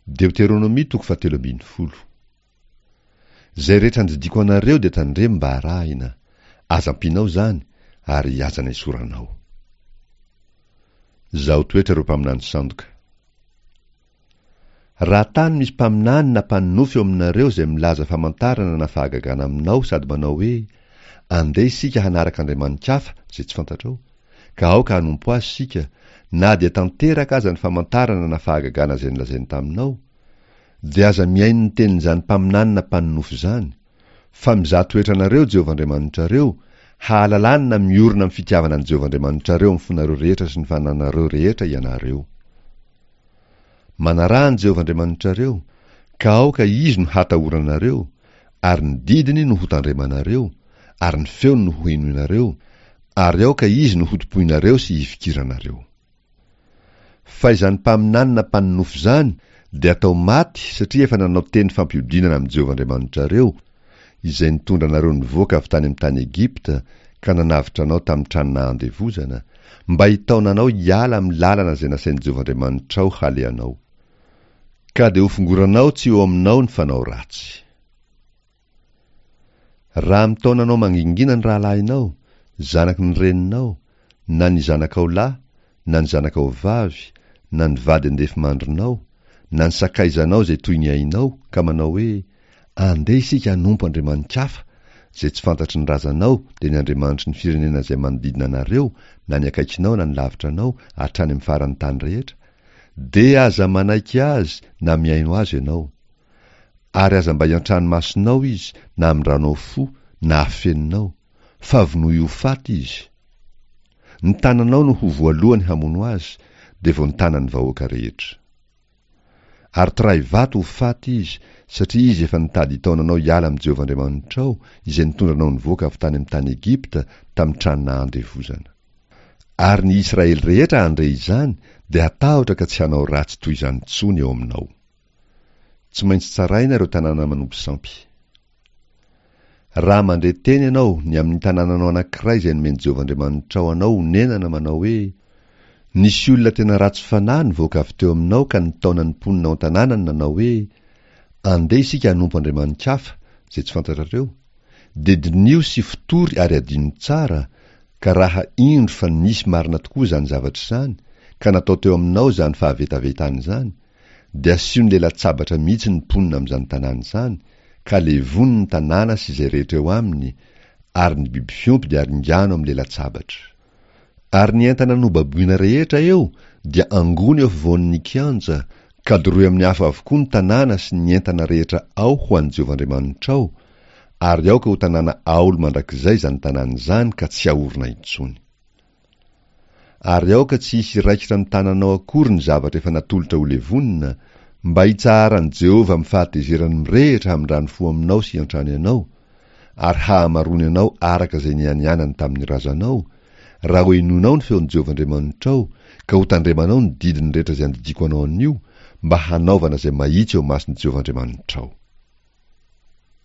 Deoteronomia toko fahatelo ambinifolo. Izay rehetra andidiako anareo dia tandremo mba arahina, aza ampianao izany ary aza nesoranao. Zaho toetra ireo mpaminany sandoka. Raha tany misy mpaminany na mpanonofy eo aminareo izay milaza famantarana na fahagagana aminao sady manao hoe, Andeha isika hanaraka andriamani-kafa izay tsy fantatrao, ka aoka hanompo azy isika, na dia tanteraka aza ny famantarana na fahagagana izay nolazainy taminao, dia aza mihaino ny tenin'izany mpaminany na mpanonofy izany, fa mizaha toetra anareo Jehovah Andriamanitrareo, hahalalany na miorina amin'ny fitiavana an'i Jehovah Andriamanitrareo amin'ny fonareo rehetra sy ny fananareo rehetra ianareo. Manaraha an'i Jehovah Andriamanitrareo, ka aoka Izy no hatahoranareo, ary ny didiny no hotandremanareo, ary ny feony no hohenoinareo, ary aoka Izy no hotompoinareo sy hifikiranareo. Fa izany mpaminany na mpanonofy izany dia atao maty satria efa nanao teny fampihodinana amin'i Jehovah Andriamanitrareo, izay nitondra anareo nivoaka avy tany amin'ny tany Egypta ka nanavotra anao tamin'ny trano nahandevozana, mba hitaona anao hiala amin'ny lalana izay nasain'i Jehovah Andriamanitrao halehanao. Ka dia hofongoranao tsy eo aminao ny fanao ratsy. Raha mitaona anao mangingina ny rahalahinao, zanaky ny reninao, na ny zanakao lahy, na ny zanakao vavy, na ny vady andefimandrinao, na ny sakaizanao izay toy ny ainao, ka manao hoe, Andeha isika hanompo andriamani-kafa, izay tsy fantatry ny razanao, dia ny andriamanitry ny firenena izay manodidina anareo, na ny akaikinao na ny lavitra anao, hatrany amin'ny faran'ny tany rehetra, dia aza manaiky azy na mihaino azy ianao. Ary aza mba iantrano masonao izy, na amindranao fo, na afeninao, fa vonoy ho faty izy. Ny tananao no ho voalohany hamono azy, dia vao ny tanan'ny vahoaka rehetra. Ary tray vato ho faty izy, satria izy efa nitady hitaona anao hiala amin'i Jehovah Andriamanitrao, izay nitondra anao nivoaka avy tany amin'ny tany Egypta, tamin'ny trano nahandevozana. Ary ny Israely rehetra handre izany, dia hatahotra ka tsy hanao ratsy toy izany intsony eo aminao. Tsy maintsy tsaraina ireo tanàna manompo sampy. Raha mandre teny ianao ny amin'ny tanànanao anankiray izay nomen'i Jehovah Andriamanitrao anao honenana manao hoe, Nisy olona tena ratsy fanahy nivoaka avy teo aminao ka nitaona ny mponina ao an-tanànany nanao hoe, Andeha isika hanompo andriamani-kafa, izay tsy fantatrareo, dia diniho sy fotory ary adino tsara, ka raha indro fa nisy marina tokoa izany zavatra izany, ka natao teo aminao izany fahavetavetana izany, dia asio ny lela-tsabatra mihitsy ny mponina amin'izany tanàna izany, ka levony ny tanàna sy izay rehetra eo aminy, ary ny biby fiompy dia aringano amin'ny lela-tsabatra. Ary ny entana nobaboina rehetra eo dia angony eo afovoan'ny kianja, ka doroy amin'ny afo avokoa ny tanàna sy ny entana rehetra ao ho an'i Jehovah Andriamanitrao, ary aoka ho tanàna aolo mandrakizay izany tanàna izany ka tsy haorina intsony. Ary aoka tsy hisy hiraikitra amin'ny tananao akory ny zavatra efa natolotra ho levonina, mba hitsaharan'i Jehovah amin'ny fahatezerany mirehitra hamindrany fo aminao sy hiantrany anao, ary hahamaroany anao araka izay nianianany tamin'ny razanao, raha hohenoinao ny feon'i Jehovah Andriamanitrao, ka hotandremanao ny didiny rehetra izay andidiako anao anio, mba hanaovana izay mahitsy eo imason'i Jehovah Andriamanitrao.